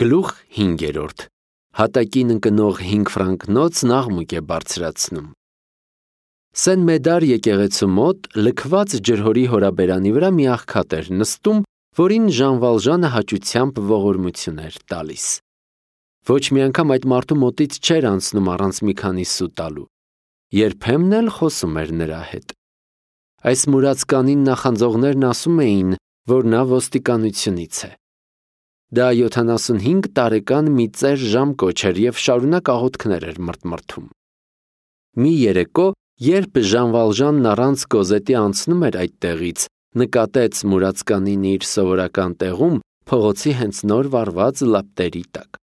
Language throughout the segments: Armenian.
Գլուխ 5. Հատակին ընկնող 5 ֆրանկնոց աղմուկ է բարձրացնում։ Սեն Մեդար եկեղեցու մոտ լքված ջրհորի հորաբերանի վրա մի աղքատ էր նստում, որին Ժան Վալժանը հաճությամբ ողորմություն էր տալիս։ Ոչ մի անգամ այդ մարդու մոտից չէր անցնում առանց մի քանի սու տալու։ Երբեմն էլ խոսում էր նրա հետ։ Այս մուրացկանին նախանձողներն ասում էին, որ նա ոստիկանությունից է։ Դա 75 տարեկան մի ծեր ժամկոչ էր և շարունակ աղոթքներ էր մրթմրթում։ Մի երեկո, երբ Ժան Վալժանն առանց Կոզետի անցնում էր այդտեղից, նկատեց մուրացկանին իր սովորական տեղում, փողոցի հենց նոր վառված լապտերի տակ։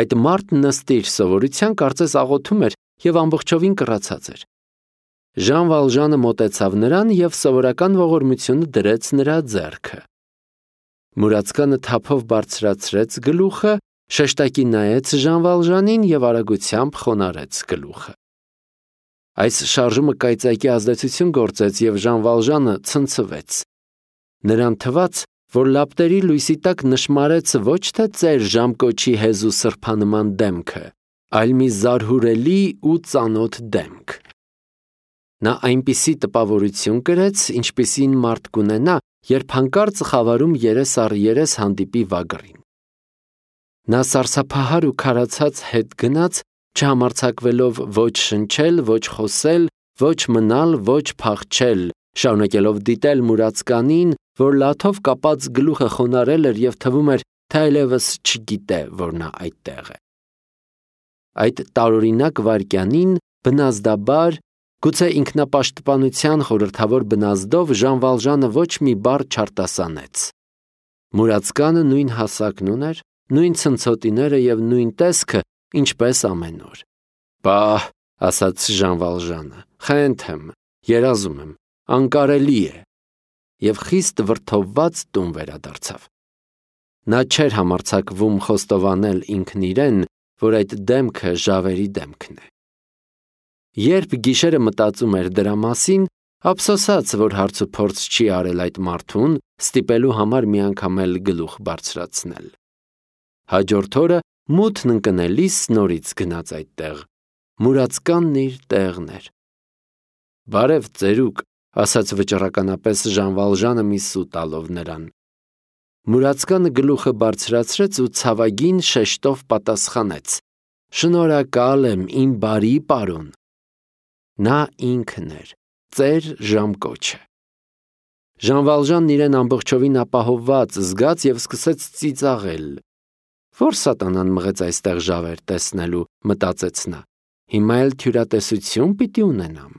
Այդ մարդն ըստ իր սովորության կարծես աղոթում էր և ամբողջովին կռացած էր։ Ժան Վալժանը մոտեցավ նրան և սովորական ողորմությունը դրեց նրա ձեռքը։ Մուրացկանը թափով բարձրացրեց գլուխը, շեշտակի նայեց Ժան Վալժանին և արագությամբ խոնարհեց գլուխը։ Այս շարժումը կայծակի ազդեցություն գործեց և Ժան Վալժանը ցնցվեց։ Նրան թվաց, որ լապտերի լույսի տակ նշմարեց ոչ թե ծեր ժամկոչի հեզու սրբանման դեմքը, այլ մի զարհուրելի ու ծանոթ դեմք։ Նա այնպիսի տպավորություն կրեց, ինչպիսին մարդ կունենա, երբ հանկարծ խավարում երես առ երես հանդիպի վագրին։ Նա սարսափահար ու քարացած հետ գնաց, չհամարձակվելով ոչ շնչել, ոչ խոսել, ոչ մնալ, ոչ փախչել, շարունակելով դիտել մուրացկանին, որ լաթով կապած գլուխը խոնարհել էր և թվում էր, թե այլևս չգիտե, որ նա այդտեղ է։ Այդ տարօրինակ վայրկյանին բնազդաբար, գուցե ինքնապաշտպանության խորհրդավոր բնազդով Ժան Վալժանը ոչ մի բառ չարտասանեց։ Մուրացկանը նույն հասակն ուներ, նույն ցնցոտիները և նույն տեսքը, ինչպես ամեն օր։ «Պահ», ասաց Ժան Վալժանը, «խենթ եմ, երազում եմ, անկարելի է» և խիստ վրդովված տուն վերադարձավ։ Նա չէր համարձակվում խոստովանել ինքն իրեն, որ այդ դեմքը ժավերի դեմքն է։ Երբ գիշերը մտածում էր դրա մասին, ափսոսաց, որ հարցուփորձ չի արել այդ մարդուն, ստիպելու համար մի անգամ էլ գլուխ բարձրացնել։ Հաջորդ օրը մութն ընկնելիս նորից գնաց այդտեղ։ Մուրացկանն իր տեղն էր։ «Բարև, ծերուկ», ասաց վճռականապես Ժան Վալժանը մի սու տալով նրան։ Մուրացկանը գլուխը բարձրացրեց ու ցավագին շեշտով պատասխանեց. «Շնորհակալ եմ, իմ բարի պարոն»։ Նա ինքն էր, ծեր ժամկոչը։ Ժան Վալժանն իրեն ամբողջովին ապահովված զգաց և սկսեց ծիծաղել։ «Որ սատանան մղեց այստեղ ժավեր տեսնելու», մտածեց նա, «հիմա էլ թյուրատեսություն պիտի ունենամ»։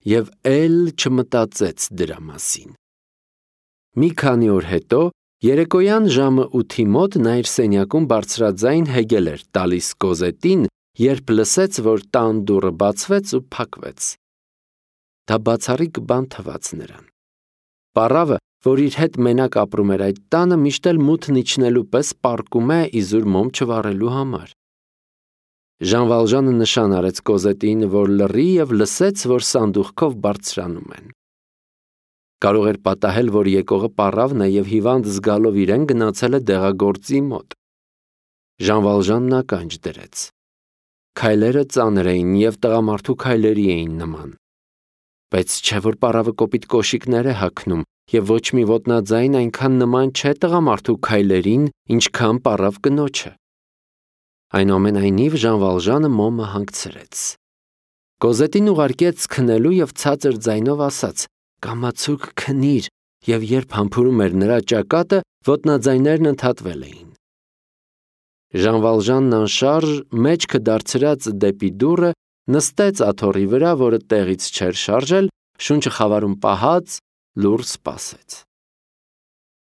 Եվ էլ չմտածեց դրա մասին։ Մի քանի օր հետո, երեկոյան ժամը 8-ի մոտ նա իր սենյակում բարձրաձայն հեգել էր տալիս Կոզետին, երբ լսեց, որ տան դուռը բացվեց ու փակվեց։ Դա բացառիկ բան թվաց նրան։ Պառավը, որ իր հետ մենակ ապրում էր այդ տանը, միշտ էլ մութն իջնելու պես պառկում է իզուր մոմ չվառելու համար։ Ժան Վալժանը նշան արեց Կոզետին, որ լռի և լսեց, որ սանդուղքով բարձրանում են։ Կարող էր պատահել, որ եկողը պառավն է և հիվանդ զգալով իրեն գնացել է դեղագործի մոտ։ Ժան Վալժանն ականջ դրեց։ Քայլերը ծանր էին և տղամարդու քայլերի էին նման։ Բայց չէ՞ որ պառավը կոպիտ կոշիկներ է հագնում, և ոչ մի ոտնաձայն այնքան նման չէ տղամարդու քայլերին, ինչքան պառավ կնոջը։ Այնուամենայնիվ Ժան Վալժանը մոմը հանգցրեց։ Կոզետին ուղարկեց քնելու և ցածր ձայնով ասաց. «Կամացուկ քնիր», և երբ համբուրում էր նրա ճակատը, ոտնաձայներն ընդհատվել էին։ Ժան Վալժանն անշարժ, մեջքը դարձրած դեպի դուռը, նստեց աթոռի վրա, որը տեղից չէր շարժել, շունչը խավարում պահած, լուռ սպասեց։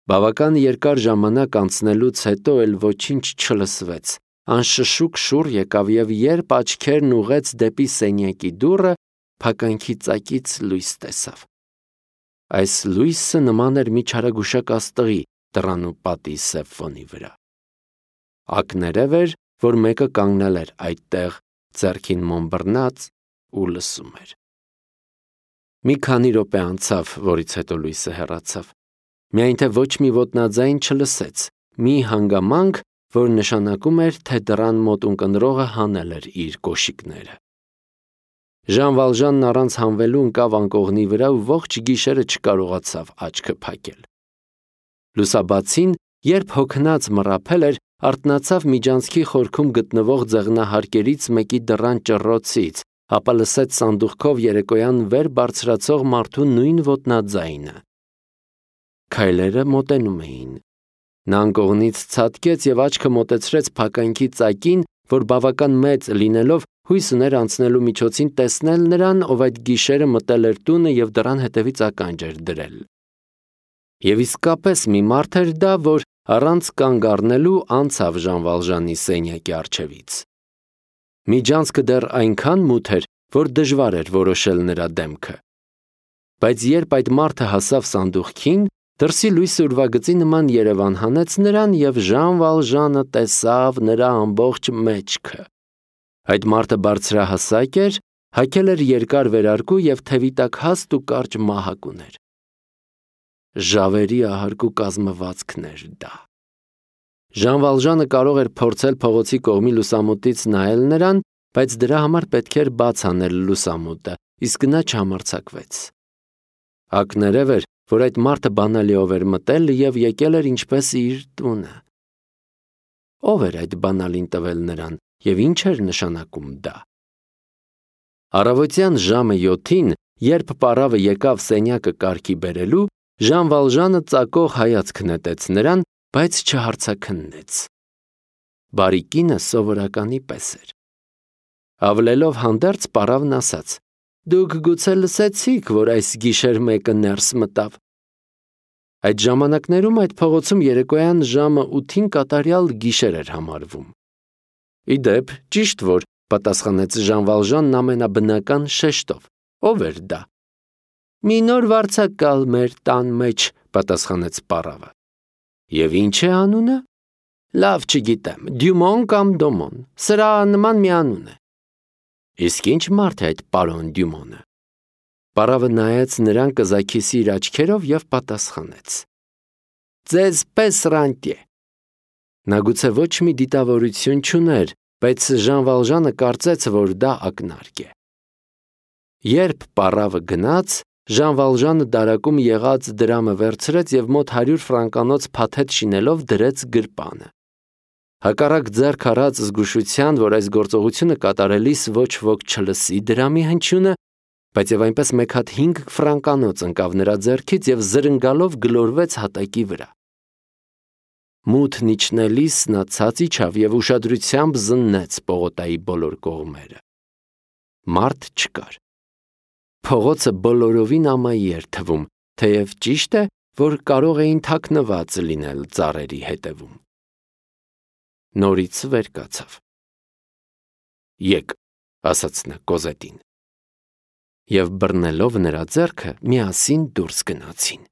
Բավական երկար ժամանակ անցնելուց հետո էլ ոչինչ չլսվեց, անշշուկ շուռ եկավ և երբ աչքերն ուղղեց դեպի սենյակի դուռը, փականքի ծակից լույս տեսավ։ Այս լույսը նման էր մի չարագուշակ աստղի դռան ու պատի սև ֆոնի վրա։ Ակներև էր, որ մեկը կանգնել էր այդտեղ, ձեռքին մոմ բռնած ու լսում էր։ Մի քանի րոպե անցավ, որից հետո լույսը հեռացավ։ Միայն թե ոչ մի ոտնաձայն չլսեց, մի հանգամանք, որ նշանակում էր, թե դռան մոտ ունկնդրողը հանել էր իր կոշիկները։ Ժան Վալժանն առանց հանվելու ընկավ անկողնի վրա ու ողջ գիշերը չկարողացավ աչքը փակել։ Լուսաբացին, երբ հոգնած մռափել էր, արթնացավ միջանցքի խորքում գտնվող ձեղնահարկերից մեկի դռան ճռռոցից, ապա լսեց սանդուղքով երեկոյան վեր բարձրացող մարդու նույն ոտնաձայնը։ Քայլերը մոտենում էին։ Նա անկողնից ցատկեց և աչքը մոտեցրեց փականքի ծակին, որ բավական մեծ լինելով հույս ուներ անցնելու միջոցին տեսնել նրան, ով այդ գիշերը մտել էր տունը և դռան հետևից ականջ էր դրել։ Եվ իսկապես մի մարդ էր դա, որ առանց կանգ առնելու անցավ Ժան Վալժանի սենյակի առջևից։ Միջանցքը դեռ այնքան մութ էր, որ դժվար էր որոշել նրա դեմքը։ Բայց երբ այդ մարդը հասավ սանդուղքին, դրսի լույսը ուրվագծի նման երևան հանեց նրան և Ժան Վալժանը տեսավ նրա ամբողջ մեջքը։ Այդ մարդը բարձրահասակ էր, հագել էր երկար վերարկու և թևի տակ հաստ ու կարճ մահակ ուներ։ Ժավերի ահարկու կազմվածքն էր դա։ Ժան Վալժանը կարող էր փորձել փողոցի կողմի լուսամուտից նայել նրան, բայց դրա համար պետք էր բաց անել լուսամուտը, իսկ նա չհամարձակվեց։ Ակներև էր, որ այդ մարդը բանալիով էր մտել և եկել էր ինչպես իր տունը։ Ո՞վ էր այդ բանալին տվել նրան և ինչ էր նշանակում դա։ Առավոտյան ժամը 7-ին, երբ պարավը եկավ սենյակը կարգի բերելու, Ժան Վալժանը ծակող հայացք նետեց նրան, բայց չհարցաքննեց։ Բարի կինը սովորականի պես էր։ Ավլելով հանդերձ պարավն ասաց. «Դուք գուցե լսեցիք, որ այս գիշեր մեկը ներս մտավ»։ Այդ ժամանակներում այդ փողոցում երեկոյան ժամը 8-ին կատարյալ գիշեր էր համարվում։ Ի դեպ, ճիշտ որ, պատասխանեց Ժան Վալժանն ամենաբնական շեշտով։ Ո՞վ էր դա։ Մի նոր վարձակալ մեր տան մեջ, պատասխանեց պարավը։ Եվ ինչ է անունը։ Լավ չգիտեմ, Դյումոն կամ Դոմոն, սրա նման մի անուն է։ Իսկ ինչ մարդ է այդ պարոն Դյումոնը։ Պարավը նայեց նրան կզաքիսի իր աչքերով և պատասխանեց. Ձեզ պես ռանտյե։ Նա գուցե ոչ մի դիտավորություն չուներ, բայց Ժան Վալժանը կարծեց, որ դա ակնարկ է։ Երբ պարավը գնաց, Ժան Վալժանը դարակում եղած դրամը վերցրեց և մոտ 100 ֆրանկանոց փաթեթ շինելով դրեց գրպանը։ Հակառակ ձեռք առած զգուշության, որ այս գործողությունը կատարելիս ոչ ոք չլսի դրամի հնչյունը, բայց և այնպես մեկ հատ 5 ֆրանկանոց ընկավ նրա ձեռքից և զրնգալով գլորվեց հատակի վրա։ Մութն իջնելիս նա ցած իջավ և ուշադրությամբ զննեց պողոտայի բոլոր կողմերը։ Մարդ չկար։ Փողոցը բոլորովին ամայի էր թվում, թեև ճիշտ է, որ կարող էին թաքնված լինել ծառերի հետևում։ Նորից վեր կացավ։ Եկ, ասաց նա Կոզետին։ Եվ բռնելով նրա ձեռքը միասին դուրս գնացին։